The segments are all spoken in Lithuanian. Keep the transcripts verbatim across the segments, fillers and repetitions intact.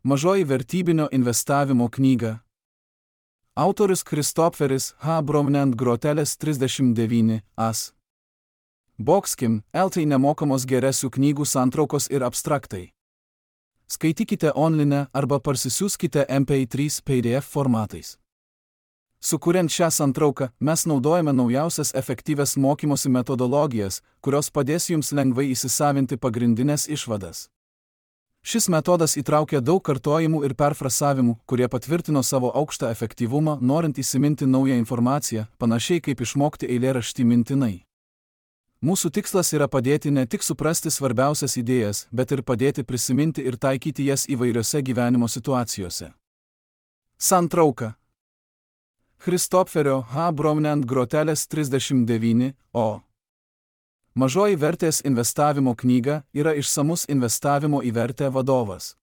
Mažoji vertybinio investavimo knyga. Autorius Kristopferis H. Bromnent Groteles trisdešimt devyni as. Bokskim, eltai nemokamos geresių knygų santraukos ir abstraktai. Skaitykite online arba parsisiųskite M P trys P D F formatais. Sukuriant šią santrauką, mes naudojame naujausias efektyvias mokymosi metodologijas, kurios padės jums lengvai įsisavinti pagrindinės išvadas. Šis metodas įtraukia daug kartojimų ir perfrasavimų, kurie patvirtino savo aukštą efektyvumą, norint įsiminti naują informaciją, panašiai kaip išmokti eilėraštį mintinai. Mūsų tikslas yra padėti ne tik suprasti svarbiausias idėjas, bet ir padėti prisiminti ir taikyti jas įvairiose gyvenimo situacijose. Santrauka. Kristopferio H. Bromnent Groteles trisdešimt devyni o. Mažoji vertės investavimo knyga yra išsamus investavimo į vertę vadovas.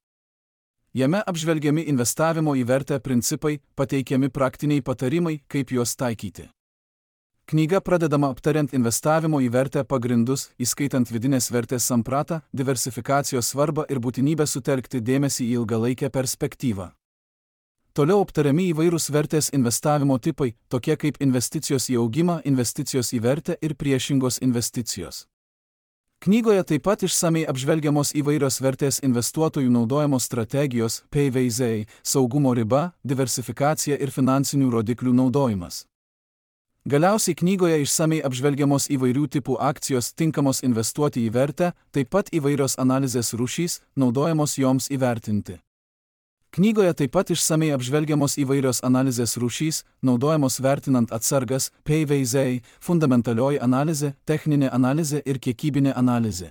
Jame apžvelgiami investavimo į vertę principai, pateikiami praktiniai patarimai, kaip juos taikyti. Knyga pradedama aptariant investavimo į vertę pagrindus, įskaitant vidinės vertės sampratą, diversifikacijos svarbą ir būtinybę sutelkti dėmesį į ilgalaikę perspektyvą. Toliau aptariami įvairūs vertės investavimo tipai, tokie kaip investicijos į augimą, investicijos į vertę ir priešingos investicijos. Knygoje taip pat išsamei apžvelgiamos įvairios vertės investuotojų naudojamos strategijos, P V Z, saugumo riba, diversifikacija ir finansinių rodiklių naudojimas. Galiausiai knygoje išsamei apžvelgiamos įvairių tipų akcijos tinkamos investuoti į vertę, taip pat įvairios analizės rūšys, naudojamos joms įvertinti. Knygoje taip pat išsamei apžvelgiamos įvairios analizės rūšys, naudojamos vertinant atsargas, P V Z, fundamentalioji analizė, techninė analizė ir kiekybinė analizė.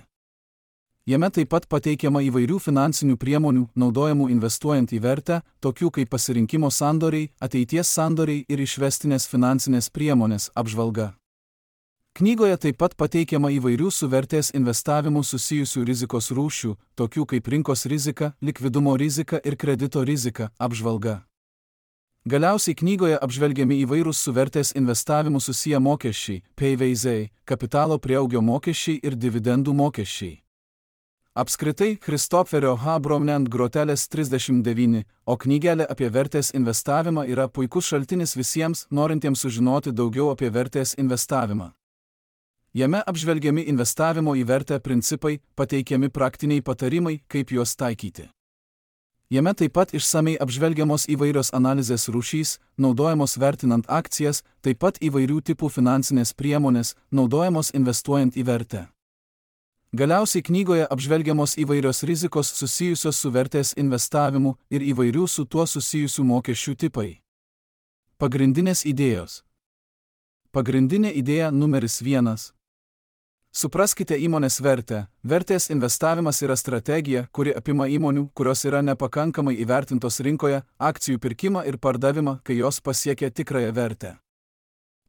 Jame taip pat pateikiama įvairių finansinių priemonių, naudojamų investuojant į vertę, tokių kaip pasirinkimo sandoriai, ateities sandoriai ir išvestinės finansinės priemonės apžvalga. Knygoje taip pat pateikiama įvairių su vertės investavimu susijusių rizikos rūšių, tokių kaip rinkos rizika, likvidumo rizika ir kredito rizika apžvalga. Galiausiai knygoje apžvelgiami įvairūs su vertės investavimu susiję mokesčiai, P V Z, kapitalo prieaugio mokesčiai ir dividendų mokesčiai. Apskritai, Kristopferio H. Bromnent Groteles trisdešimt devyni o knygelė apie vertės investavimą yra puikus šaltinis visiems, norintiems sužinoti daugiau apie vertės investavimą. Jame apžvelgiami investavimo į vertę principai, pateikiami praktiniai patarimai, kaip juos taikyti. Jame taip pat išsamei apžvelgiamos įvairios analizės rūšys, naudojamos vertinant akcijas, taip pat įvairių tipų finansinės priemonės, naudojamos investuojant į vertę. Galiausiai knygoje apžvelgiamos įvairios rizikos susijusios su vertės investavimu ir įvairių su tuo susijusių mokesčių tipai. Pagrindinės idėjos. Pagrindinė idėja numeris vienas. Supraskite įmonės vertę. Vertės investavimas yra strategija, kuri apima įmonių, kurios yra nepakankamai įvertintos rinkoje, akcijų pirkimą ir pardavimą, kai jos pasiekia tikrąją vertę.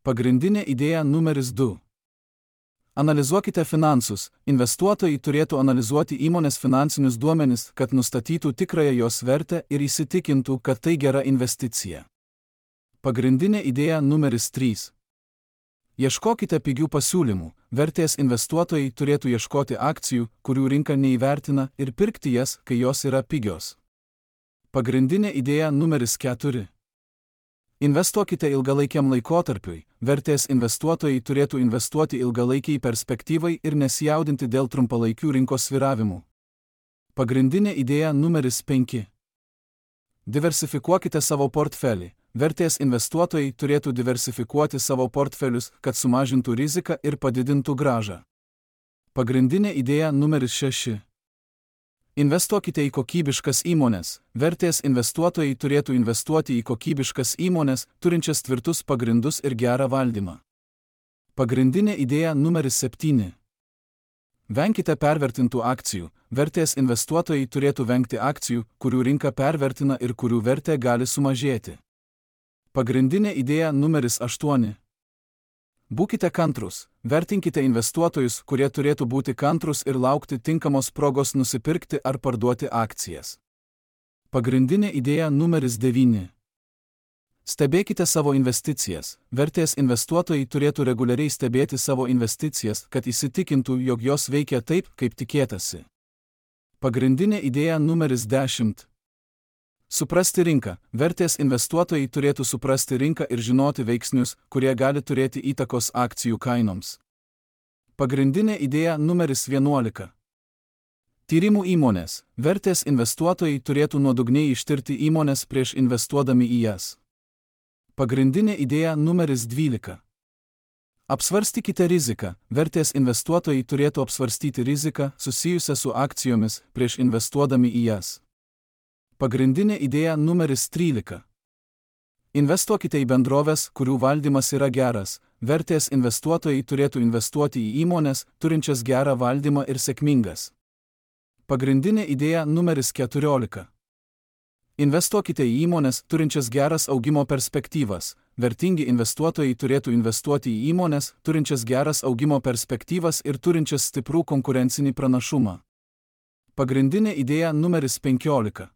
Pagrindinė idėja numeris du. Analizuokite finansus. Investuotojai turėtų analizuoti įmonės finansinius duomenis, kad nustatytų tikrąją jos vertę ir įsitikintų, kad tai gera investicija. Pagrindinė idėja numeris trys. Ieškokite pigių pasiūlymų. Vertės investuotojai turėtų ieškoti akcijų, kurių rinka neįvertina, ir pirkti jas, kai jos yra pigios. Pagrindinė idėja numeris keturi. Investuokite ilgalaikiam laikotarpiui. Vertės investuotojai turėtų investuoti ilgalaikiai perspektyvai ir nesijaudinti dėl trumpalaikių rinkos svyravimų. Pagrindinė idėja numeris penki. Diversifikuokite savo portfelį. Vertės investuotojai turėtų diversifikuoti savo portfelius, kad sumažintų riziką ir padidintų grąžą. Pagrindinė idėja numeris šeši. Investuokite į kokybiškas įmones. Vertės investuotojai turėtų investuoti į kokybiškas įmones, turinčias tvirtus pagrindus ir gerą valdymą. Pagrindinė idėja numeris septyni. Venkite pervertintų akcijų. Vertės investuotojai turėtų vengti akcijų, kurių rinka pervertina ir kurių vertė gali sumažėti. Pagrindinė idėja numeris aštuoni. Būkite kantrus. Vertinkite investuotojus, kurie turėtų būti kantrus ir laukti tinkamos progos nusipirkti ar parduoti akcijas. Pagrindinė idėja numeris devyni. Stebėkite savo investicijas. Vertės investuotojai turėtų reguliariai stebėti savo investicijas, kad įsitikintų, jog jos veikia taip, kaip tikėtasi. Pagrindinė idėja numeris dešimt. Suprasti rinką. Vertės investuotojai turėtų suprasti rinką ir žinoti veiksnius, kurie gali turėti įtakos akcijų kainoms. Pagrindinė idėja numeris vienuolika. Tyrimų įmonės. Vertės investuotojai turėtų nuodugniai ištirti įmonės prieš investuodami į jas. Pagrindinė idėja numeris dvylika. Apsvarstykite riziką. Vertės investuotojai turėtų apsvarstyti riziką susijusią su akcijomis prieš investuodami į jas. Pagrindinė idėja numeris trylika. Investuokite į bendroves, kurių valdymas yra geras. Vertės investuotojai turėtų investuoti į įmonės, turinčias gerą valdymą ir sėkmingas. Pagrindinė idėja numeris keturiolika. Investuokite į įmonės, turinčias geras augimo perspektyvas. Vertingi investuotojai turėtų investuoti į įmonės, turinčias geras augimo perspektyvas ir turinčias stiprų konkurencinį pranašumą. Pagrindinė idėja numeris penkiolika.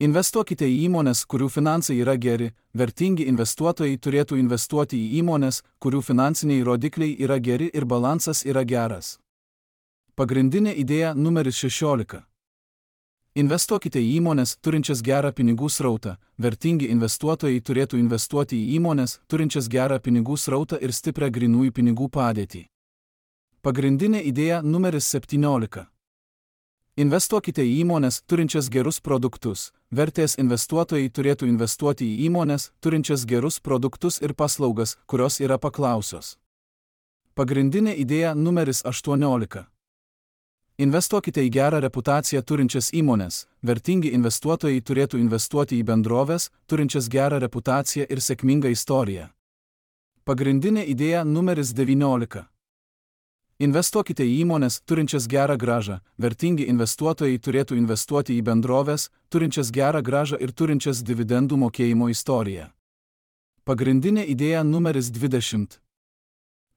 Investuokite į įmonės, kurių finansai yra geri. Vertingi investuotojai turėtų investuoti į įmonės, kurių finansiniai rodikliai yra geri ir balansas yra geras. Pagrindinė idėja numeris šešiolika. Investuokite į įmonės, turinčias gerą pinigų srautą. Vertingi investuotojai turėtų investuoti į įmonės, turinčias gerą pinigų srautą ir stiprią grynųjų pinigų padėtį. Pagrindinė idėja numeris septyniolika. Investuokite į įmonės, turinčias gerus produktus. Vertės investuotojai turėtų investuoti į įmonės, turinčias gerus produktus ir paslaugas, kurios yra paklausios. Pagrindinė idėja numeris aštuoniolika. Investuokite į gerą reputaciją turinčias įmonės. Vertingi investuotojai turėtų investuoti į bendroves, turinčias gerą reputaciją ir sėkmingą istoriją. Pagrindinė idėja numeris devyniolika. Investuokite į įmonės, turinčias gerą grąžą. Vertingi investuotojai turėtų investuoti į bendroves, turinčias gerą grąžą ir turinčias dividendų mokėjimo istoriją. Pagrindinė idėja numeris dvidešimt.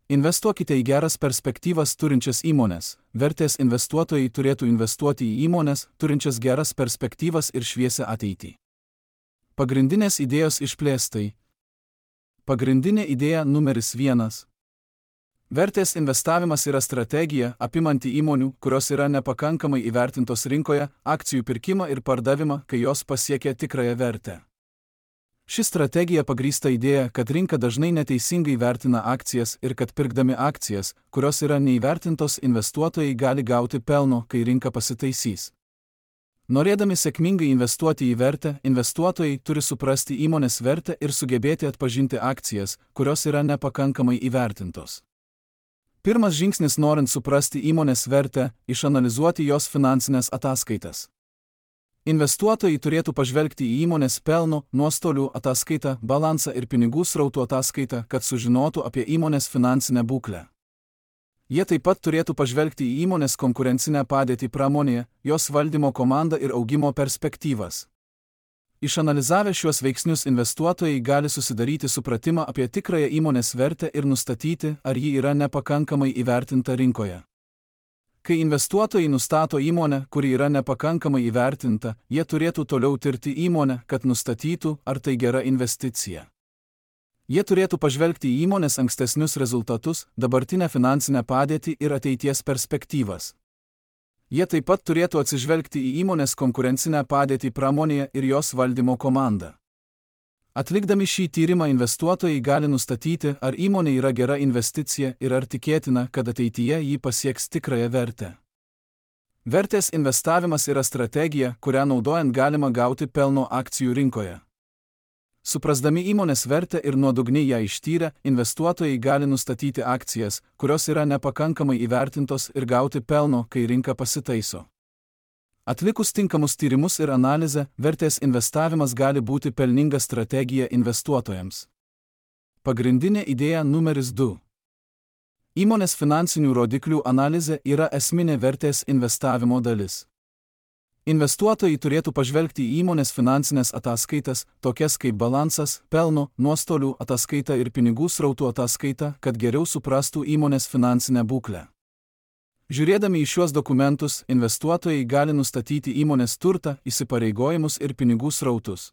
Investuokite į geras perspektyvas turinčias įmonės. Vertės investuotojai turėtų investuoti į įmonės, turinčias geras perspektyvas ir šviesią ateitį. Pagrindinės idėjos išplėstai. Pagrindinė idėja numeris vienas. Vertės investavimas yra strategija, apimanti įmonių, kurios yra nepakankamai įvertintos rinkoje, akcijų pirkimą ir pardavimą, kai jos pasiekia tikrąją vertę. Ši strategija pagrįsta idėja, kad rinka dažnai neteisingai vertina akcijas ir kad pirkdami akcijas, kurios yra neįvertintos, investuotojai gali gauti pelno, kai rinka pasitaisys. Norėdami sėkmingai investuoti į vertę, investuotojai turi suprasti įmonės vertę ir sugebėti atpažinti akcijas, kurios yra nepakankamai įvertintos. Pirmas žingsnis norint suprasti įmonės vertę – išanalizuoti jos finansinės ataskaitas. Investuotojai turėtų pažvelgti į įmonės pelno, nuostolių ataskaitą, balansą ir pinigų srautų ataskaitą, kad sužinotų apie įmonės finansinę būklę. Jie taip pat turėtų pažvelgti į įmonės konkurencinę padėtį pramonėje, jos valdymo komandą ir augimo perspektyvas. Išanalizavę šiuos veiksnius investuotojai gali susidaryti supratimą apie tikrąją įmonės vertę ir nustatyti, ar ji yra nepakankamai įvertinta rinkoje. Kai investuotojai nustato įmonę, kuri yra nepakankamai įvertinta, jie turėtų toliau tirti įmonę, kad nustatytų, ar tai gera investicija. Jie turėtų pažvelgti į įmonės ankstesnius rezultatus, dabartinę finansinę padėtį ir ateities perspektyvas. Jie taip pat turėtų atsižvelgti į įmonės konkurencinę padėtį pramonėje ir jos valdymo komandą. Atlikdami šį tyrimą investuotojai gali nustatyti, ar įmonė yra gera investicija ir ar tikėtina, kad ateityje jį pasieks tikrąją vertę. Vertės investavimas yra strategija, kurią naudojant galima gauti pelno akcijų rinkoje. Suprasdami įmonės vertę ir nuodugniai ją ištyrę, investuotojai gali nustatyti akcijas, kurios yra nepakankamai įvertintos ir gauti pelno, kai rinka pasitaiso. Atlikus tinkamus tyrimus ir analizę, vertės investavimas gali būti pelninga strategija investuotojams. Pagrindinė idėja numeris du. Įmonės finansinių rodiklių analizė yra esminė vertės investavimo dalis. Investuotojai turėtų pažvelgti į įmonės finansinės ataskaitas, tokias kaip balansas, pelno, nuostolių ataskaita ir pinigų srautų ataskaita, kad geriau suprastų įmonės finansinę būklę. Žiūrėdami į šiuos dokumentus, investuotojai gali nustatyti įmonės turtą, įsipareigojimus ir pinigų srautus.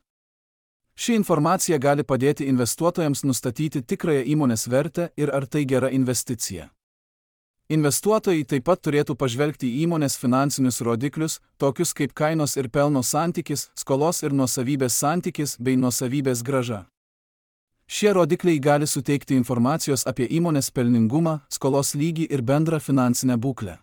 Ši informacija gali padėti investuotojams nustatyti tikrąją įmonės vertę ir ar tai gera investicija. Investuotojai taip pat turėtų pažvelgti į įmonės finansinius rodiklius, tokius kaip kainos ir pelno santykis, skolos ir nuosavybės santykis bei nuosavybės grąža. Šie rodikliai gali suteikti informacijos apie įmonės pelningumą, skolos lygį ir bendrą finansinę būklę.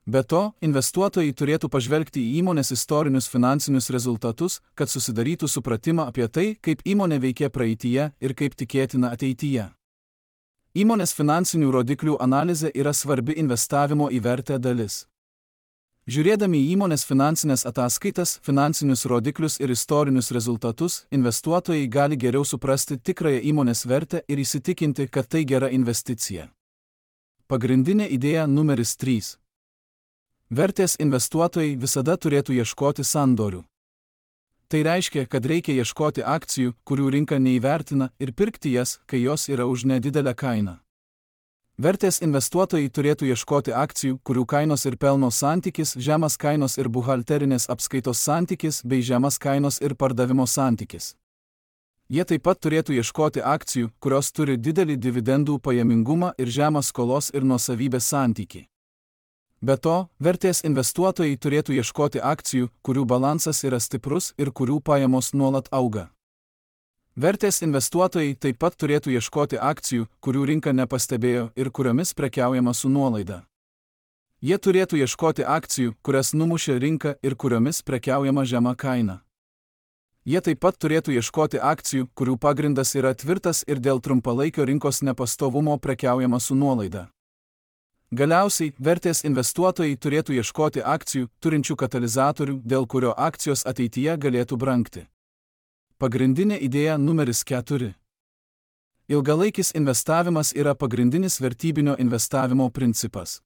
Be to, investuotojai turėtų pažvelgti į įmonės istorinius finansinius rezultatus, kad susidarytų supratimą apie tai, kaip įmonė veikė praeityje ir kaip tikėtina ateityje. Įmonės finansinių rodiklių analizė yra svarbi investavimo į vertę dalis. Žiūrėdami į įmonės finansinės ataskaitas, finansinius rodiklius ir istorinius rezultatus, investuotojai gali geriau suprasti tikrąją įmonės vertę ir įsitikinti, kad tai gera investicija. Pagrindinė idėja numeris trys. Vertės investuotojai visada turėtų ieškoti sandorių. Tai reiškia, kad reikia ieškoti akcijų, kurių rinka neįvertina, ir pirkti jas, kai jos yra už nedidelę kainą. Vertės investuotojai turėtų ieškoti akcijų, kurių kainos ir pelno santykis, žemas kainos ir buhalterinės apskaitos santykis bei žemas kainos ir pardavimo santykis. Jie taip pat turėtų ieškoti akcijų, kurios turi didelį dividendų pajamingumą ir žemą skolos ir nuosavybės santykį. Be to, vertės investuotojai turėtų ieškoti akcijų, kurių balansas yra stiprus ir kurių pajamos nuolat auga. Vertės investuotojai taip pat turėtų ieškoti akcijų, kurių rinka nepastebėjo ir kuriomis prekiaujama su nuolaida. Jie turėtų ieškoti akcijų, kurias numušė rinka ir kuriomis prekiaujama žema kaina. Jie taip pat turėtų ieškoti akcijų, kurių pagrindas yra tvirtas ir dėl trumpalaikio rinkos nepastovumo prekiaujama su nuolaida. Galiausiai, vertės investuotojai turėtų ieškoti akcijų, turinčių katalizatorių, dėl kurio akcijos ateityje galėtų brangti. Pagrindinė idėja numeris keturi. Ilgalaikis investavimas yra pagrindinis vertybinio investavimo principas.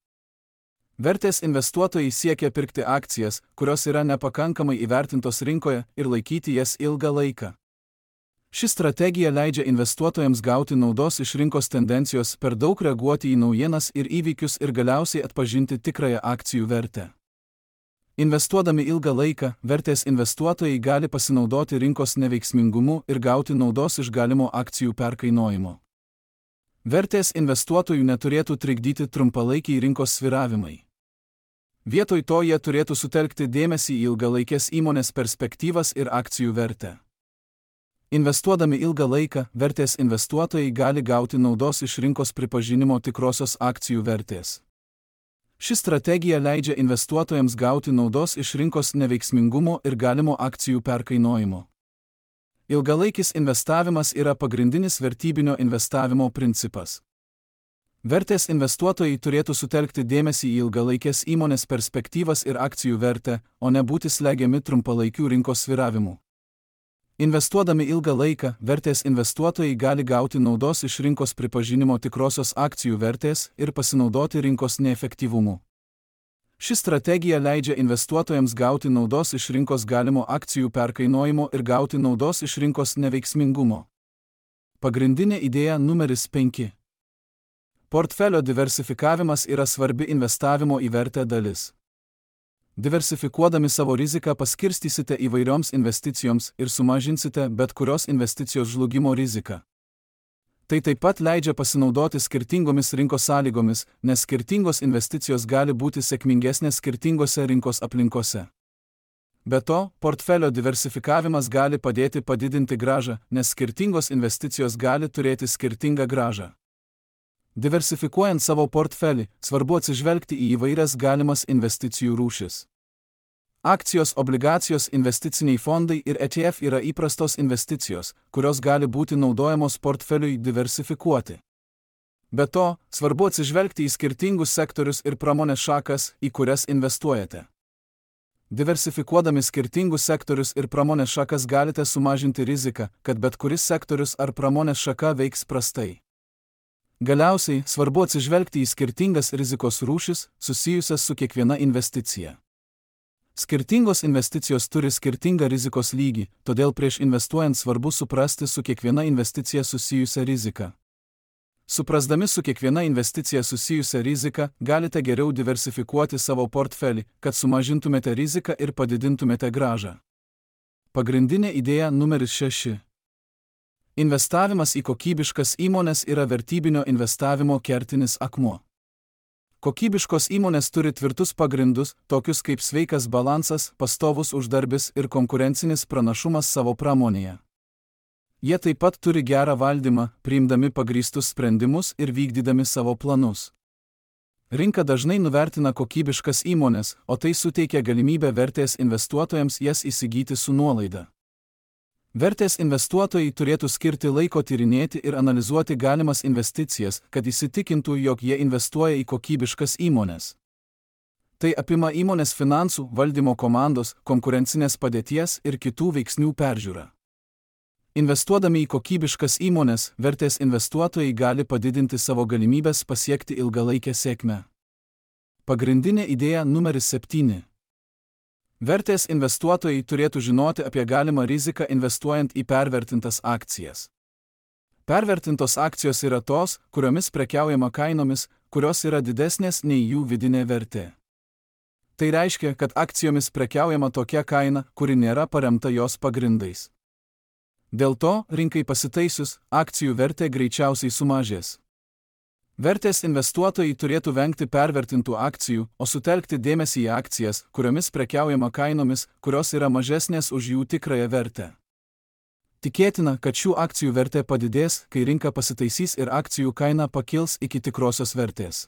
Vertės investuotojai siekia pirkti akcijas, kurios yra nepakankamai įvertintos rinkoje, ir laikyti jas ilgą laiką. Ši strategija leidžia investuotojams gauti naudos iš rinkos tendencijos, per daug reaguoti į naujienas ir įvykius ir galiausiai atpažinti tikrąją akcijų vertę. Investuodami ilgą laiką, vertės investuotojai gali pasinaudoti rinkos neveiksmingumu ir gauti naudos iš galimo akcijų perkainojimo. Vertės investuotojų neturėtų trikdyti trumpalaikiai rinkos svyravimai. Vietoj to jie turėtų sutelkti dėmesį į ilgalaikės įmonės perspektyvas ir akcijų vertę. Investuodami ilgą laiką, vertės investuotojai gali gauti naudos iš rinkos pripažinimo tikrosios akcijų vertės. Ši strategija leidžia investuotojams gauti naudos iš rinkos neveiksmingumo ir galimo akcijų perkainojimo. Ilgalaikis investavimas yra pagrindinis vertybinio investavimo principas. Vertės investuotojai turėtų sutelkti dėmesį į ilgalaikės įmonės perspektyvas ir akcijų vertę, o ne būti slegiami trumpalaikių rinkos svyravimų. Investuodami ilgą laiką, vertės investuotojai gali gauti naudos iš rinkos pripažinimo tikrosios akcijų vertės ir pasinaudoti rinkos neefektyvumu. Ši strategija leidžia investuotojams gauti naudos iš rinkos galimo akcijų perkainojimo ir gauti naudos iš rinkos neveiksmingumo. Pagrindinė idėja numeris penki. Portfelio diversifikavimas yra svarbi investavimo į vertę dalis. Diversifikuodami savo riziką paskirstysite įvairioms investicijoms ir sumažinsite bet kurios investicijos žlugimo riziką. Tai taip pat leidžia pasinaudoti skirtingomis rinkos sąlygomis, nes skirtingos investicijos gali būti sėkmingesnės skirtingose rinkos aplinkose. Be to, portfelio diversifikavimas gali padėti padidinti grąžą, nes skirtingos investicijos gali turėti skirtingą grąžą. Diversifikuojant savo portfelį, svarbu atsižvelgti į įvairias galimas investicijų rūšis. Akcijos, obligacijos, investiciniai fondai ir E T F yra įprastos investicijos, kurios gali būti naudojamos portfeliui diversifikuoti. Be to, svarbu atsižvelgti į skirtingus sektorius ir pramonės šakas, į kurias investuojate. Diversifikuodami skirtingus sektorius ir pramonės šakas galite sumažinti riziką, kad bet kuris sektorius ar pramonės šaka veiks prastai. Galiausiai, svarbu atsižvelgti į skirtingas rizikos rūšis, susijusias su kiekviena investicija. Skirtingos investicijos turi skirtingą rizikos lygį, todėl prieš investuojant svarbu suprasti su kiekviena investicija susijusią riziką. Suprasdami su kiekviena investicija susijusią riziką, galite geriau diversifikuoti savo portfelį, kad sumažintumėte riziką ir padidintumėte grąžą. Pagrindinė idėja numeris šeši. Investavimas į kokybiškas įmones yra vertybinio investavimo kertinis akmuo. Kokybiškos įmonės turi tvirtus pagrindus, tokius kaip sveikas balansas, pastovus uždarbis ir konkurencinis pranašumas savo pramonėje. Jie taip pat turi gerą valdymą, priimdami pagrįstus sprendimus ir vykdydami savo planus. Rinka dažnai nuvertina kokybiškas įmonės, o tai suteikia galimybę vertės investuotojams jas įsigyti su nuolaida. Vertės investuotojai turėtų skirti laiko tyrinėti ir analizuoti galimas investicijas, kad įsitikintų, jog jie investuoja į kokybiškas įmones. Tai apima įmonės finansų, valdymo komandos, konkurencinės padėties ir kitų veiksnių peržiūrą. Investuodami į kokybiškas įmones, vertės investuotojai gali padidinti savo galimybės pasiekti ilgalaikę sėkmę. Pagrindinė idėja numeris septyni. Vertės investuotojai turėtų žinoti apie galimą riziką investuojant į pervertintas akcijas. Pervertintos akcijos yra tos, kuriomis prekiaujama kainomis, kurios yra didesnės nei jų vidinė vertė. Tai reiškia, kad akcijomis prekiaujama tokia kaina, kuri nėra paremta jos pagrindais. Dėl to, rinkai pasitaisius, akcijų vertė greičiausiai sumažės. Vertės investuotojai turėtų vengti pervertintų akcijų, o sutelkti dėmesį į akcijas, kuriomis prekiaujama kainomis, kurios yra mažesnės už jų tikrąją vertę. Tikėtina, kad šių akcijų vertė padidės, kai rinka pasitaisys ir akcijų kaina pakils iki tikrosios vertės.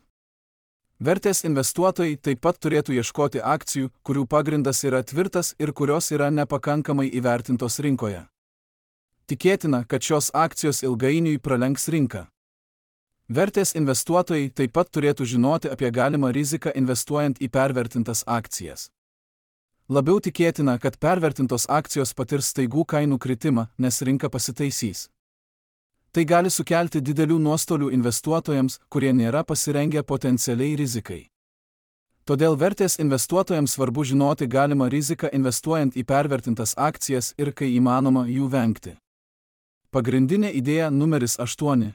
Vertės investuotojai taip pat turėtų ieškoti akcijų, kurių pagrindas yra tvirtas ir kurios yra nepakankamai įvertintos rinkoje. Tikėtina, kad šios akcijos ilgainiui pralenks rinką. Vertės investuotojai taip pat turėtų žinoti apie galimą riziką investuojant į pervertintas akcijas. Labiau tikėtina, kad pervertintos akcijos patirs staigų kainų kritimą, nes rinka pasitaisys. Tai gali sukelti didelių nuostolių investuotojams, kurie nėra pasirengę potencialiai rizikai. Todėl vertės investuotojams svarbu žinoti galimą riziką investuojant į pervertintas akcijas ir kai įmanoma jų vengti. Pagrindinė idėja numeris aštuoni.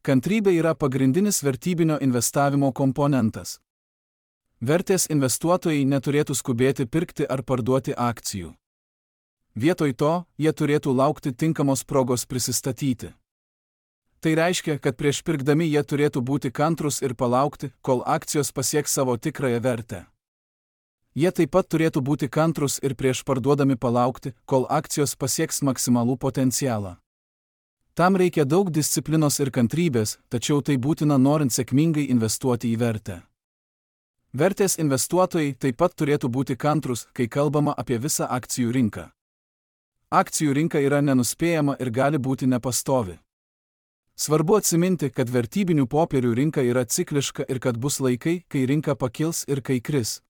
Kantrybė yra pagrindinis vertybinio investavimo komponentas. Vertės investuotojai neturėtų skubėti pirkti ar parduoti akcijų. Vietoj to, jie turėtų laukti tinkamos progos prisistatyti. Tai reiškia, kad prieš pirkdami jie turėtų būti kantrūs ir palaukti, kol akcijos pasieks savo tikrąją vertę. Jie taip pat turėtų būti kantrūs ir prieš parduodami palaukti, kol akcijos pasieks maksimalų potencialą. Tam reikia daug disciplinos ir kantrybės, tačiau tai būtina norint sėkmingai investuoti į vertę. Vertės investuotojai taip pat turėtų būti kantrūs, kai kalbama apie visą akcijų rinką. Akcijų rinka yra nenuspėjama ir gali būti nepastovi. Svarbu atsiminti, kad vertybinių popierių rinka yra cikliška ir kad bus laikai, kai rinka pakils ir kai kris.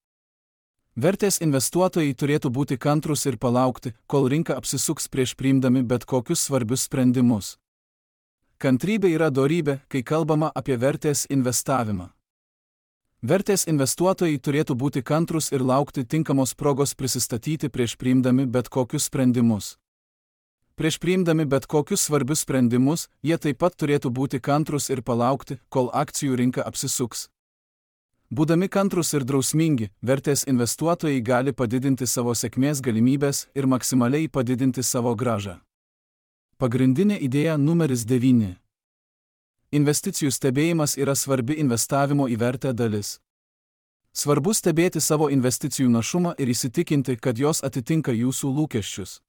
Vertės investuotojai turėtų būti kantrūs ir palaukti, kol rinka apsisuks prieš priimdami bet kokius svarbius sprendimus. Kantrybė yra dorybė, kai kalbama apie vertės investavimą. Vertės investuotojai turėtų būti kantrūs ir laukti tinkamos progos prisistatyti prieš priimdami bet kokius sprendimus. Prieš priimdami bet kokius svarbius sprendimus, jie taip pat turėtų būti kantrūs ir palaukti, kol akcijų rinka apsisuks. Būdami kantrūs ir drausmingi, vertės investuotojai gali padidinti savo sėkmės galimybės ir maksimaliai padidinti savo grąžą. Pagrindinė idėja numeris devyni. Investicijų stebėjimas yra svarbi investavimo į vertę dalis. Svarbu stebėti savo investicijų našumą ir įsitikinti, kad jos atitinka jūsų lūkesčius.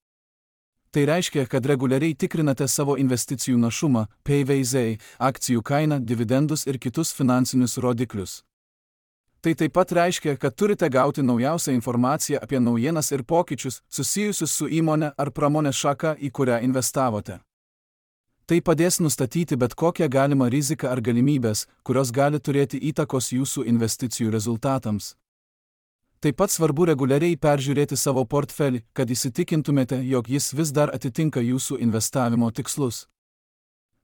Tai reiškia, kad reguliariai tikrinate savo investicijų našumą, P V Z, akcijų kainą, dividendus ir kitus finansinius rodiklius. Tai taip pat reiškia, kad turite gauti naujausią informaciją apie naujienas ir pokyčius susijusius su įmonė ar pramonės šaka, į kurią investavote. Tai padės nustatyti bet kokią galimą riziką ar galimybės, kurios gali turėti įtakos jūsų investicijų rezultatams. Taip pat svarbu reguliariai peržiūrėti savo portfelį, kad įsitikintumėte, jog jis vis dar atitinka jūsų investavimo tikslus.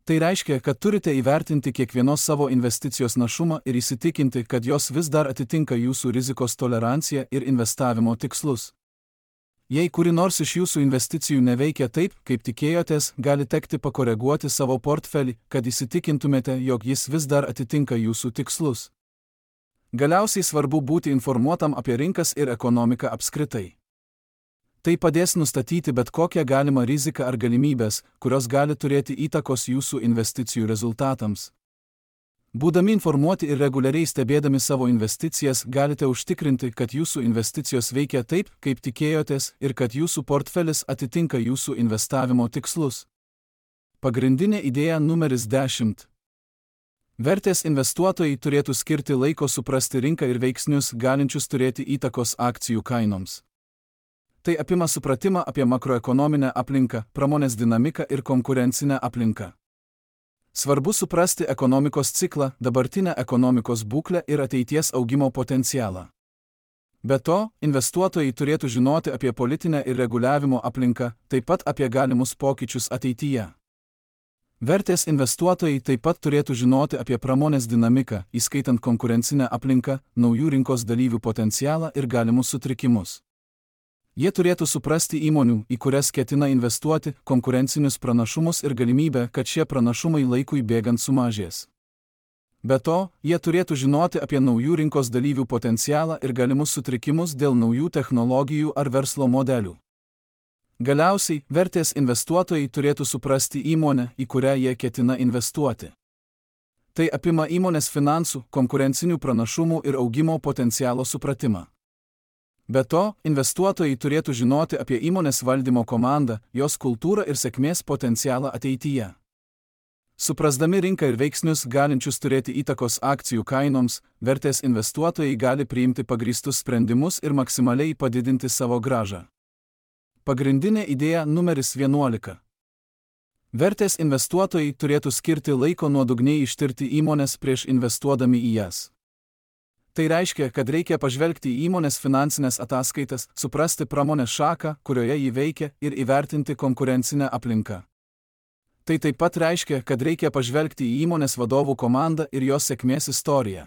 Tai reiškia, kad turite įvertinti kiekvienos savo investicijos našumą ir įsitikinti, kad jos vis dar atitinka jūsų rizikos toleranciją ir investavimo tikslus. Jei kuri nors iš jūsų investicijų neveikia taip, kaip tikėjotės, gali tekti pakoreguoti savo portfelį, kad įsitikintumėte, jog jis vis dar atitinka jūsų tikslus. Galiausiai svarbu būti informuotam apie rinkas ir ekonomiką apskritai. Tai padės nustatyti bet kokią galimą riziką ar galimybės, kurios gali turėti įtakos jūsų investicijų rezultatams. Būdami informuoti ir reguliariai stebėdami savo investicijas, galite užtikrinti, kad jūsų investicijos veikia taip, kaip tikėjotės, ir kad jūsų portfelis atitinka jūsų investavimo tikslus. Pagrindinė idėja numeris dešimt. Vertės investuotojai turėtų skirti laiko suprasti rinką ir veiksnius, galinčius turėti įtakos akcijų kainoms. Tai apima supratimą apie makroekonominę aplinką, pramonės dinamiką ir konkurencinę aplinką. Svarbu suprasti ekonomikos ciklą, dabartinę ekonomikos būklę ir ateities augimo potencialą. Be to, investuotojai turėtų žinoti apie politinę ir reguliavimo aplinką, taip pat apie galimus pokyčius ateityje. Vertės investuotojai taip pat turėtų žinoti apie pramonės dinamiką, įskaitant konkurencinę aplinką, naujų rinkos dalyvių potencialą ir galimus sutrikimus. Jie turėtų suprasti įmonių, į kurias ketina investuoti, konkurencinius pranašumus ir galimybę, kad šie pranašumai laikui bėgant sumažės. Be to, jie turėtų žinoti apie naujų rinkos dalyvių potencialą ir galimus sutrikimus dėl naujų technologijų ar verslo modelių. Galiausiai, vertės investuotojai turėtų suprasti įmonę, į kurią jie ketina investuoti. Tai apima įmonės finansų, konkurencinių pranašumų ir augimo potencialo supratimą. Be to, investuotojai turėtų žinoti apie įmonės valdymo komandą, jos kultūrą ir sėkmės potencialą ateityje. Suprasdami rinką ir veiksnius galinčius turėti įtakos akcijų kainoms, vertės investuotojai gali priimti pagrįstus sprendimus ir maksimaliai padidinti savo grąžą. Pagrindinė idėja numeris vienuolika. Vertės investuotojai turėtų skirti laiko nuodugniai ištirti įmones prieš investuodami į jas. Tai reiškia, kad reikia pažvelgti į įmonės finansinės ataskaitas, suprasti pramonės šaką, kurioje ji veikia, ir įvertinti konkurencinę aplinką. Tai taip pat reiškia, kad reikia pažvelgti į įmonės vadovų komandą ir jos sėkmės istoriją.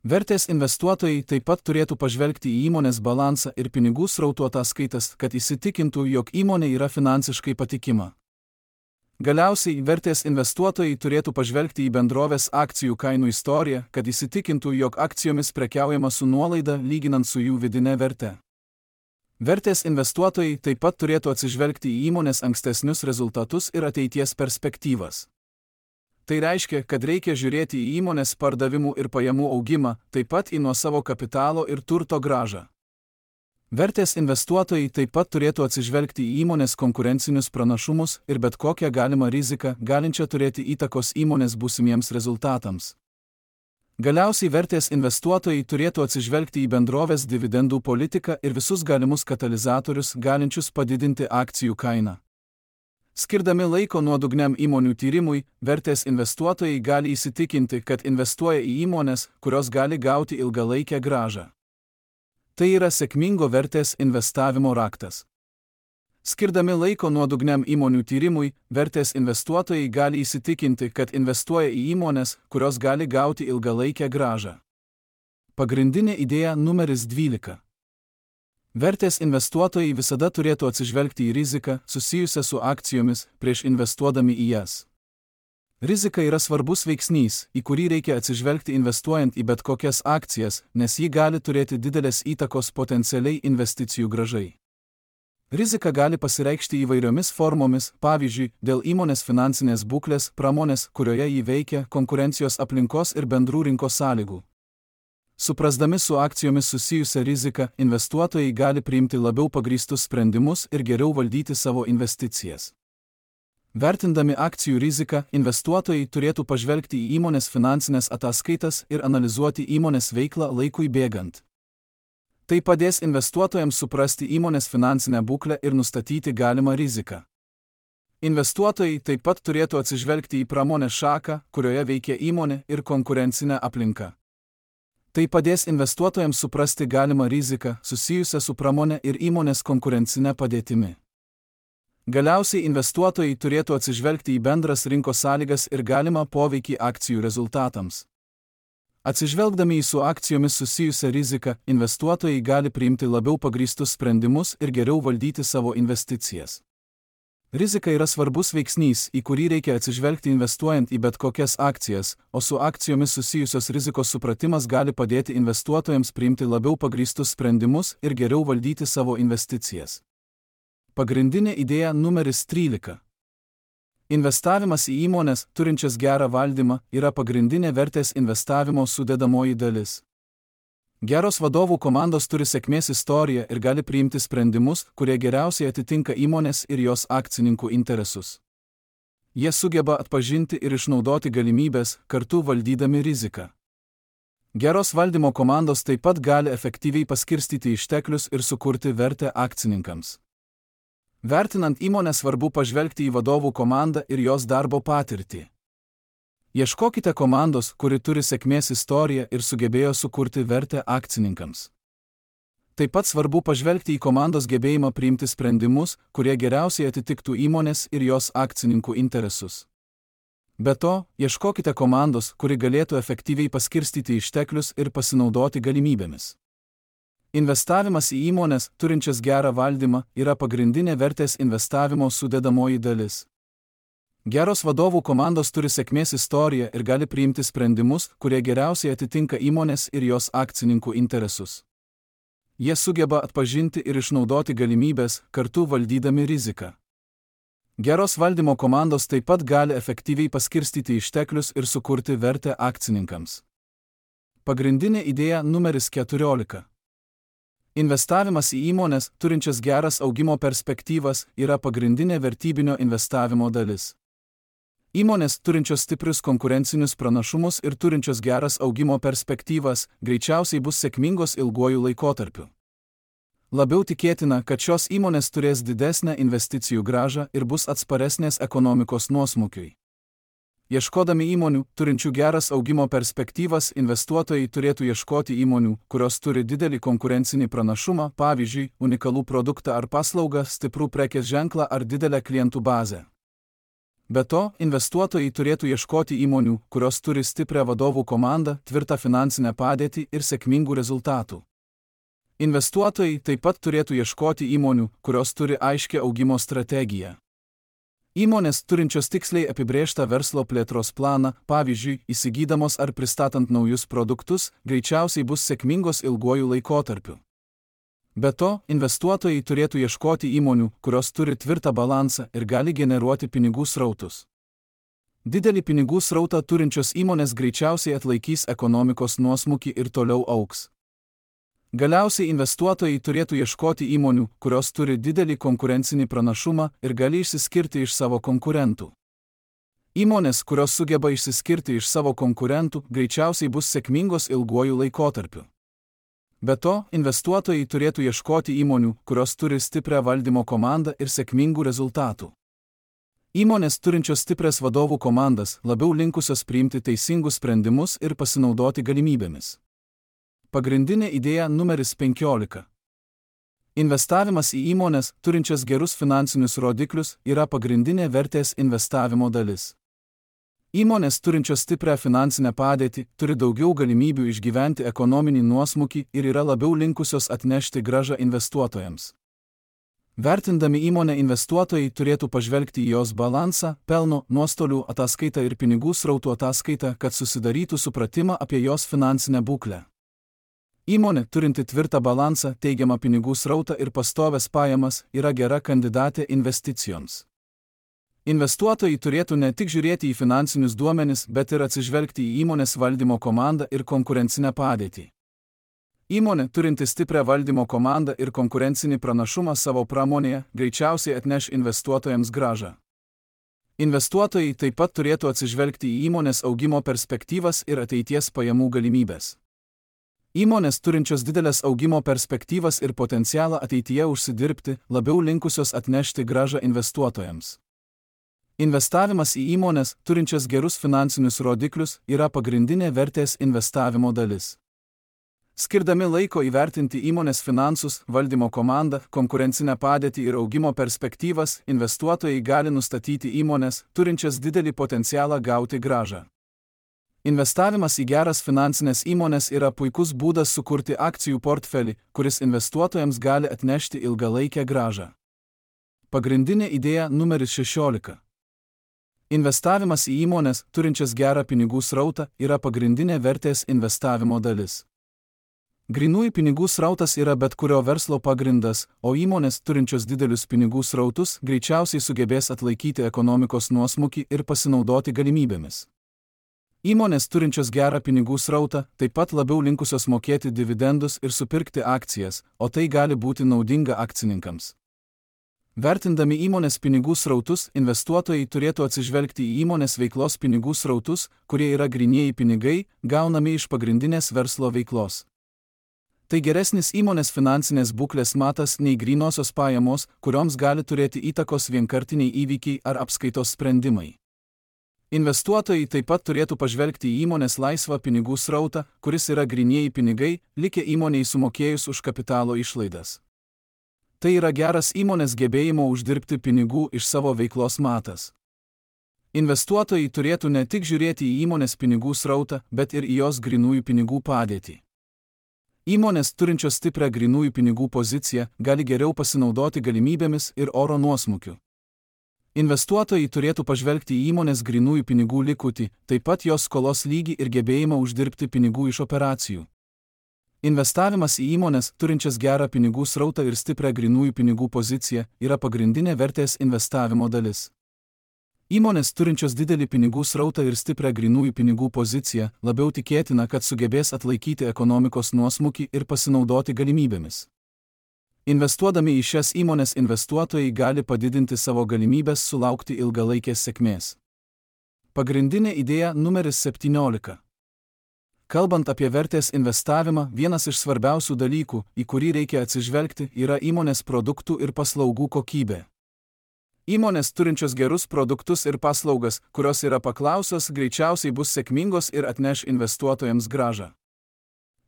Vertės investuotojai taip pat turėtų pažvelgti į įmonės balansą ir pinigų srautų ataskaitas, kad įsitikintų, jog įmonė yra finansiškai patikima. Galiausiai, vertės investuotojai turėtų pažvelgti į bendrovės akcijų kainų istoriją, kad įsitikintų, jog akcijomis prekiaujama su nuolaida lyginant su jų vidine verte. Vertės investuotojai taip pat turėtų atsižvelgti į įmonės ankstesnius rezultatus ir ateities perspektyvas. Tai reiškia, kad reikia žiūrėti į įmonės pardavimų ir pajamų augimą, taip pat į nuosavo kapitalo ir turto grąžą. Vertės investuotojai taip pat turėtų atsižvelgti į įmonės konkurencinius pranašumus ir bet kokią galimą riziką, galinčią turėti įtakos įmonės būsimiems rezultatams. Galiausiai vertės investuotojai turėtų atsižvelgti į bendrovės dividendų politiką ir visus galimus katalizatorius, galinčius padidinti akcijų kainą. Skirdami laiko nuodugniam įmonių tyrimui, vertės investuotojai gali įsitikinti, kad investuoja į įmones, kurios gali gauti ilgalaikę grąžą. Tai yra sėkmingo vertės investavimo raktas. Skirdami laiko nuodugniam įmonių tyrimui, vertės investuotojai gali įsitikinti, kad investuoja į įmones, kurios gali gauti ilgalaikę grąžą. Pagrindinė idėja numeris dvylika. Vertės investuotojai visada turėtų atsižvelgti į riziką, susijusią su akcijomis, prieš investuodami į jas. Rizika yra svarbus veiksnys, į kurį reikia atsižvelgti investuojant į bet kokias akcijas, nes ji gali turėti didelės įtakos potencialiai investicijų grąžai. Rizika gali pasireikšti įvairiomis formomis, pavyzdžiui, dėl įmonės finansinės būklės, pramonės, kurioje ji veikia, konkurencijos aplinkos ir bendrų rinkos sąlygų. Suprasdami su akcijomis susijusią riziką, investuotojai gali priimti labiau pagrįstus sprendimus ir geriau valdyti savo investicijas. Vertindami akcijų riziką, investuotojai turėtų pažvelgti į įmonės finansinės ataskaitas ir analizuoti įmonės veiklą laikui bėgant. Tai padės investuotojams suprasti įmonės finansinę būklę ir nustatyti galimą riziką. Investuotojai taip pat turėtų atsižvelgti į pramonės šaką, kurioje veikia įmonė, ir konkurencinę aplinką. Tai padės investuotojams suprasti galimą riziką susijusią su pramonė ir įmonės konkurencinė padėtimi. Galiausiai investuotojai turėtų atsižvelgti į bendras rinkos sąlygas ir galimą poveikį akcijų rezultatams. Atsižvelgdami į su akcijomis susijusią riziką, investuotojai gali priimti labiau pagrįstus sprendimus ir geriau valdyti savo investicijas. Rizika yra svarbus veiksnys, į kurį reikia atsižvelgti investuojant į bet kokias akcijas, o su akcijomis susijusios rizikos supratimas gali padėti investuotojams priimti labiau pagrįstus sprendimus ir geriau valdyti savo investicijas. Pagrindinė idėja numeris trylika. Investavimas į įmones, turinčias gerą valdymą, yra pagrindinė vertės investavimo sudedamoji dalis. Geros vadovų komandos turi sėkmės istoriją ir gali priimti sprendimus, kurie geriausiai atitinka įmonės ir jos akcininkų interesus. Jie sugeba atpažinti ir išnaudoti galimybės, kartu valdydami riziką. Geros valdymo komandos taip pat gali efektyviai paskirstyti išteklius ir sukurti vertę akcininkams. Vertinant įmonę, svarbu pažvelgti į vadovų komandą ir jos darbo patirtį. Ieškokite komandos, kuri turi sėkmės istoriją ir sugebėjo sukurti vertę akcininkams. Taip pat svarbu pažvelgti į komandos gebėjimą priimti sprendimus, kurie geriausiai atitiktų įmonės ir jos akcininkų interesus. Be to, ieškokite komandos, kuri galėtų efektyviai paskirstyti išteklius ir pasinaudoti galimybėmis. Investavimas į įmones, turinčias gerą valdymą, yra pagrindinė vertės investavimo sudedamoji dalis. Geros vadovų komandos turi sėkmės istoriją ir gali priimti sprendimus, kurie geriausiai atitinka įmonės ir jos akcininkų interesus. Jie sugeba atpažinti ir išnaudoti galimybės, kartu valdydami riziką. Geros valdymo komandos taip pat gali efektyviai paskirstyti išteklius ir sukurti vertę akcininkams. Pagrindinė idėja numeris keturiolika. Investavimas į įmones, turinčias geras augimo perspektyvas, yra pagrindinė vertybinio investavimo dalis. Įmonės, turinčios stiprius konkurencinius pranašumus ir turinčios geras augimo perspektyvas, greičiausiai bus sėkmingos ilguoju laikotarpiu. Labiau tikėtina, kad šios įmonės turės didesnę investicijų grąžą ir bus atsparesnės ekonomikos nuosmukiui. Ieškodami įmonių, turinčių geras augimo perspektyvas, investuotojai turėtų ieškoti įmonių, kurios turi didelį konkurencinį pranašumą, pavyzdžiui, unikalų produktą ar paslaugą, stiprų prekės ženklą ar didelę klientų bazę. Be to, investuotojai turėtų ieškoti įmonių, kurios turi stiprią vadovų komandą, tvirtą finansinę padėtį ir sėkmingų rezultatų. Investuotojai taip pat turėtų ieškoti įmonių, kurios turi aiškią augimo strategiją. Įmonės, turinčios tiksliai apibrėžtą verslo plėtros planą, pavyzdžiui, įsigydamos ar pristatant naujus produktus, greičiausiai bus sėkmingos ilguoju laikotarpiu. Be to, investuotojai turėtų ieškoti įmonių, kurios turi tvirtą balansą ir gali generuoti pinigų srautus. Didelį pinigų srautą turinčios įmonės greičiausiai atlaikys ekonomikos nuosmukį ir toliau augs. Galiausiai investuotojai turėtų ieškoti įmonių, kurios turi didelį konkurencinį pranašumą ir gali išsiskirti iš savo konkurentų. Įmonės, kurios sugeba išsiskirti iš savo konkurentų, greičiausiai bus sėkmingos ilguoju laikotarpiu. Be to, investuotojai turėtų ieškoti įmonių, kurios turi stiprią valdymo komandą ir sėkmingų rezultatų. Įmonės, turinčios stiprias vadovų komandas, labiau linkusios priimti teisingus sprendimus ir pasinaudoti galimybėmis. Pagrindinė idėja numeris penkiolika. Investavimas į įmones, turinčias gerus finansinius rodiklius, yra pagrindinė vertės investavimo dalis. Įmonės, turinčios stiprią finansinę padėtį, turi daugiau galimybių išgyventi ekonominį nuosmukį ir yra labiau linkusios atnešti grąžą investuotojams. Vertindami įmonę, investuotojai turėtų pažvelgti į jos balansą, pelno, nuostolių ataskaitą ir pinigų srautų ataskaitą, kad susidarytų supratimą apie jos finansinę būklę. Įmonė, turinti tvirtą balansą, teigiamą pinigų srautą ir pastovias pajamas, yra gera kandidatė investicijoms. Investuotojai turėtų ne tik žiūrėti į finansinius duomenis, bet ir atsižvelgti į įmonės valdymo komandą ir konkurencinę padėtį. Įmonė, turinti stiprią valdymo komandą ir konkurencinį pranašumą savo pramonėje, greičiausiai atneš investuotojams grąžą. Investuotojai taip pat turėtų atsižvelgti į įmonės augimo perspektyvas ir ateities pajamų galimybės. Įmonės, turinčios didelės augimo perspektyvas ir potencialą ateityje užsidirbti, labiau linkusios atnešti grąžą investuotojams. Investavimas į įmonės, turinčias gerus finansinius rodiklius, yra pagrindinė vertės investavimo dalis. Skirdami laiko įvertinti įmonės finansus, valdymo komandą, konkurencinę padėtį ir augimo perspektyvas, investuotojai gali nustatyti įmonės, turinčias didelį potencialą gauti grąžą. Investavimas į geras finansinės įmonės yra puikus būdas sukurti akcijų portfelį, kuris investuotojams gali atnešti ilgalaikę grąžą. Pagrindinė idėja numeris šešiolika. Investavimas į įmonės, turinčias gerą pinigų srautą, yra pagrindinė vertės investavimo dalis. Grynųjų pinigų srautas yra bet kurio verslo pagrindas, o įmonės turinčios didelius pinigų srautus greičiausiai sugebės atlaikyti ekonomikos nuosmukį ir pasinaudoti galimybėmis. Įmonės turinčios gerą pinigų srautą taip pat labiau linkusios mokėti dividendus ir supirkti akcijas, o tai gali būti naudinga akcininkams. Vertindami įmonės pinigų srautus, investuotojai turėtų atsižvelgti į įmonės veiklos pinigų srautus, kurie yra grynieji pinigai, gaunami iš pagrindinės verslo veiklos. Tai geresnis įmonės finansinės būklės matas nei grynosios pajamos, kurioms gali turėti įtakos vienkartiniai įvykiai ar apskaitos sprendimai. Investuotojai taip pat turėtų pažvelgti į įmonės laisvą pinigų srautą, kuris yra grynieji pinigai, likę įmonei sumokėjus už kapitalo išlaidas. Tai yra geras įmonės gebėjimo uždirbti pinigų iš savo veiklos matas. Investuotojai turėtų ne tik žiūrėti į įmonės pinigų srautą, bet ir į jos grynųjų pinigų padėtį. Įmonės turinčios stiprią grynųjų pinigų poziciją gali geriau pasinaudoti galimybėmis ir oro nuosmukiu. Investuotojai turėtų pažvelgti į įmonės grynųjų pinigų likutį, taip pat jos skolos lygį ir gebėjimą uždirbti pinigų iš operacijų. Investavimas į įmonės, turinčias gerą pinigų srautą ir stiprią grynųjų pinigų poziciją, yra pagrindinė vertės investavimo dalis. Įmonės turinčios didelį pinigų srautą ir stiprią grynųjų pinigų poziciją labiau tikėtina, kad sugebės atlaikyti ekonomikos nuosmukį ir pasinaudoti galimybėmis. Investuodami į šias įmonės investuotojai gali padidinti savo galimybės sulaukti ilgalaikės sėkmės. Pagrindinė idėja numeris septyniolika. Kalbant apie vertės investavimą, vienas iš svarbiausių dalykų, į kurį reikia atsižvelgti, yra įmonės produktų ir paslaugų kokybė. Įmonės turinčios gerus produktus ir paslaugas, kurios yra paklausios, greičiausiai bus sėkmingos ir atneš investuotojams grąžą.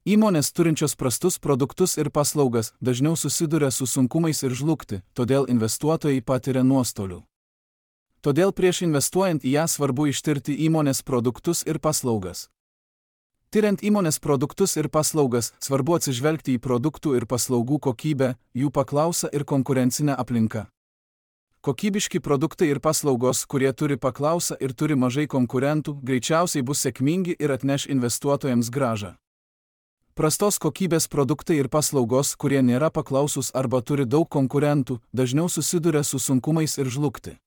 Įmonės turinčios prastus produktus ir paslaugas dažniau susiduria su sunkumais ir žlugti, todėl investuotojai patiria nuostolių. Todėl prieš investuojant į ją svarbu ištirti įmonės produktus ir paslaugas. Tyriant įmonės produktus ir paslaugas, svarbu atsižvelgti į produktų ir paslaugų kokybę, jų paklausą ir konkurencinę aplinką. Kokybiški produktai ir paslaugos, kurie turi paklausą ir turi mažai konkurentų, greičiausiai bus sėkmingi ir atneš investuotojams grąžą. Prastos kokybės produktai ir paslaugos, kurie nėra paklausus arba turi daug konkurentų, dažniau susiduria su sunkumais ir žlugti.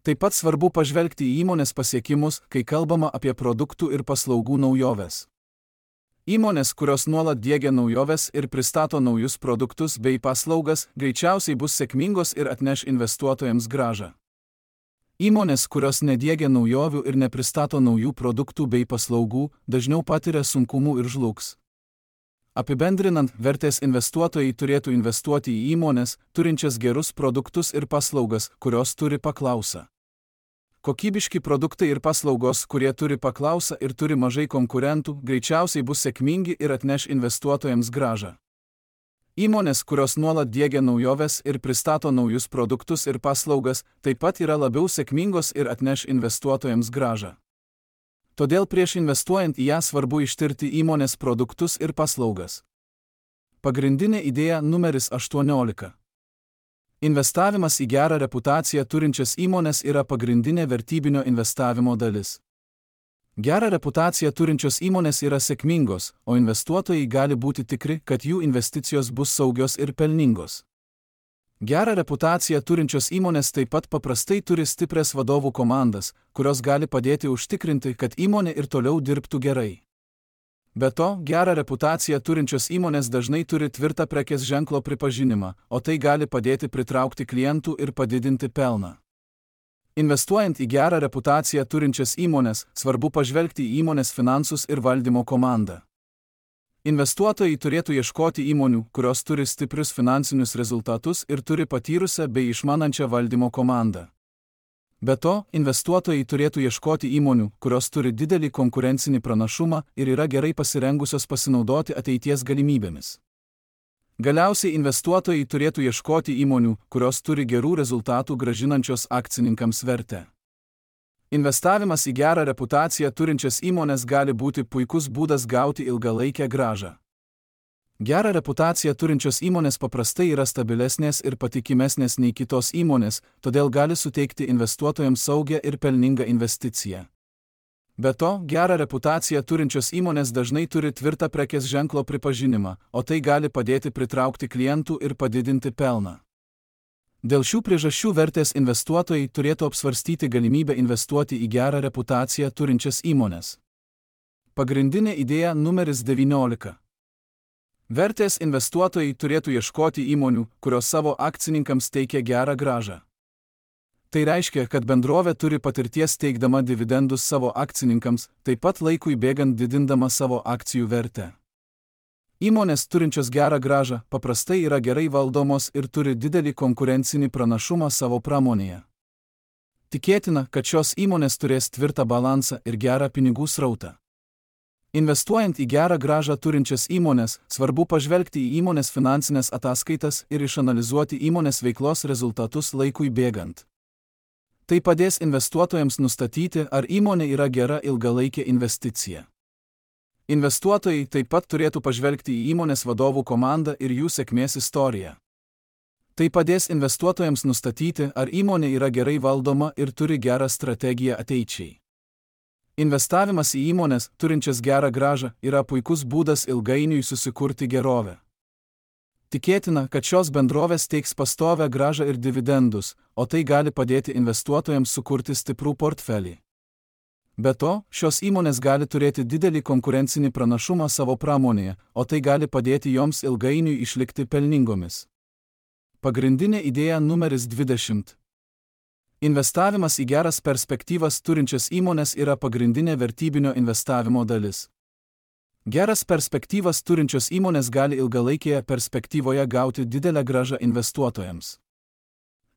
Taip pat svarbu pažvelgti į įmonės pasiekimus, kai kalbama apie produktų ir paslaugų naujoves. Įmonės, kurios nuolat diegia naujoves ir pristato naujus produktus bei paslaugas, greičiausiai bus sėkmingos ir atneš investuotojams grąžą. Įmonės, kurios nediegia naujovių ir nepristato naujų produktų bei paslaugų, dažniau patiria sunkumų ir žlugs. Apibendrinant, vertės investuotojai turėtų investuoti į įmonės, turinčias gerus produktus ir paslaugas, kurios turi paklausą. Kokybiški produktai ir paslaugos, kurie turi paklausą ir turi mažai konkurentų, greičiausiai bus sėkmingi ir atneš investuotojams grąžą. Įmonės, kurios nuolat diegia naujoves ir pristato naujus produktus ir paslaugas, taip pat yra labiau sėkmingos ir atneš investuotojams grąžą. Todėl prieš investuojant į ją svarbu ištirti įmonės produktus ir paslaugas. Pagrindinė idėja numeris aštuoniolika. Investavimas į gerą reputaciją turinčias įmonės yra pagrindinė vertybinio investavimo dalis. Gerą reputaciją turinčios įmonės yra sėkmingos, o investuotojai gali būti tikri, kad jų investicijos bus saugios ir pelningos. Gerą reputaciją turinčios įmonės taip pat paprastai turi stiprias vadovų komandas, kurios gali padėti užtikrinti, kad įmonė ir toliau dirbtų gerai. Be to, gerą reputaciją turinčios įmonės dažnai turi tvirtą prekės ženklo pripažinimą, o tai gali padėti pritraukti klientų ir padidinti pelną. Investuojant į gerą reputaciją turinčias įmonės, svarbu pažvelgti į įmonės finansus ir valdymo komandą. Investuotojai turėtų ieškoti įmonių, kurios turi stiprius finansinius rezultatus ir turi patyrusią bei išmanančią valdymo komandą. Be to, investuotojai turėtų ieškoti įmonių, kurios turi didelį konkurencinį pranašumą ir yra gerai pasirengusios pasinaudoti ateities galimybėmis. Galiausiai investuotojai turėtų ieškoti įmonių, kurios turi gerų rezultatų grąžinančios akcininkams vertę. Investavimas į gerą reputaciją turinčias įmonės gali būti puikus būdas gauti ilgalaikę grąžą. Gerą reputaciją turinčios įmonės paprastai yra stabilesnės ir patikimesnės nei kitos įmonės, todėl gali suteikti investuotojams saugią ir pelningą investiciją. Be to, gerą reputaciją turinčios įmonės dažnai turi tvirtą prekės ženklo pripažinimą, o tai gali padėti pritraukti klientų ir padidinti pelną. Dėl šių priežasčių vertės investuotojai turėtų apsvarstyti galimybę investuoti į gerą reputaciją turinčias įmones. Pagrindinė idėja numeris devyniolika. Vertės investuotojai turėtų ieškoti įmonių, kurios savo akcininkams teikia gerą grąžą. Tai reiškia, kad bendrovė turi patirties teikdama dividendus savo akcininkams, taip pat laikui bėgant didindama savo akcijų vertę. Įmonės turinčios gerą grąžą paprastai yra gerai valdomos ir turi didelį konkurencinį pranašumą savo pramonėje. Tikėtina, kad šios įmonės turės tvirtą balansą ir gerą pinigų srautą. Investuojant į gerą grąžą turinčias įmonės, svarbu pažvelgti į įmonės finansinės ataskaitas ir išanalizuoti įmonės veiklos rezultatus laikui bėgant. Tai padės investuotojams nustatyti, ar įmonė yra gera ilgalaikė investicija. Investuotojai taip pat turėtų pažvelgti į įmonės vadovų komandą ir jų sėkmės istoriją. Tai padės investuotojams nustatyti, ar įmonė yra gerai valdoma ir turi gerą strategiją ateičiai. Investavimas į įmonės, turinčias gerą grąžą, yra puikus būdas ilgainiui susikurti gerovę. Tikėtina, kad šios bendrovės teiks pastovią grąžą ir dividendus, o tai gali padėti investuotojams sukurti stiprų portfelį. Be to, šios įmonės gali turėti didelį konkurencinį pranašumą savo pramonėje, o tai gali padėti joms ilgainiui išlikti pelningomis. Pagrindinė idėja numeris dvidešimt. Investavimas į geras perspektyvas turinčias įmonės yra pagrindinė vertybinio investavimo dalis. Geras perspektyvas turinčios įmonės gali ilgalaikėje perspektyvoje gauti didelę grąžą investuotojams.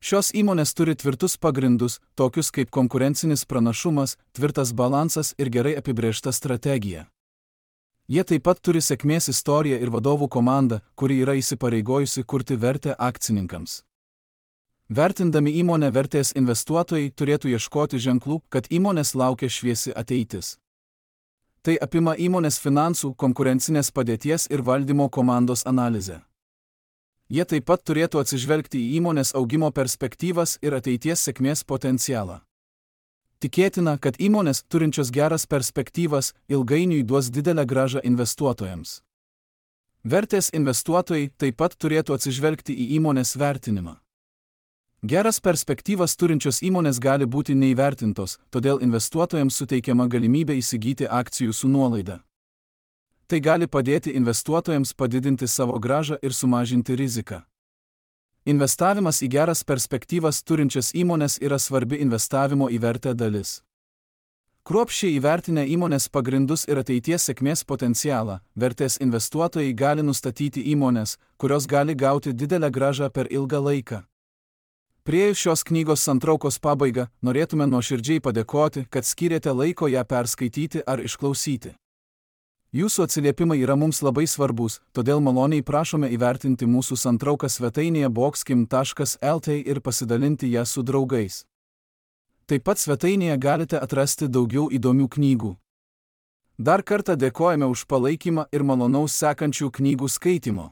Šios įmonės turi tvirtus pagrindus, tokius kaip konkurencinis pranašumas, tvirtas balansas ir gerai apibrėžta strategija. Jie taip pat turi sėkmės istoriją ir vadovų komandą, kuri yra įsipareigojusi kurti vertę akcininkams. Vertindami įmonę vertės investuotojai turėtų ieškoti ženklų, kad įmonės laukia šviesi ateitis. Tai apima įmonės finansų, konkurencinės padėties ir valdymo komandos analizę. Jie taip pat turėtų atsižvelgti į įmonės augimo perspektyvas ir ateities sėkmės potencialą. Tikėtina, kad įmonės, turinčios geras perspektyvas, ilgainiui duos didelę grąžą investuotojams. Vertės investuotojai taip pat turėtų atsižvelgti į įmonės vertinimą. Geras perspektyvas turinčios įmonės gali būti neįvertintos, todėl investuotojams suteikiama galimybė įsigyti akcijų su nuolaida. Tai gali padėti investuotojams padidinti savo grąžą ir sumažinti riziką. Investavimas į geras perspektyvas turinčias įmonės yra svarbi investavimo į vertę dalis. Kruopščiai įvertinę įmonės pagrindus ir ateities sėkmės potencialą, vertės investuotojai gali nustatyti įmonės, kurios gali gauti didelę grąžą per ilgą laiką. Priėjus šios knygos santraukos pabaigą, norėtume nuoširdžiai padėkoti, kad skyrėte laiko ją perskaityti ar išklausyti. Jūsų atsiliepimai yra mums labai svarbus, todėl maloniai prašome įvertinti mūsų santrauką svetainėje boxkim taškas el t ir pasidalinti ją su draugais. Taip pat svetainėje galite atrasti daugiau įdomių knygų. Dar kartą dėkojame už palaikymą ir malonaus sekančių knygų skaitimo.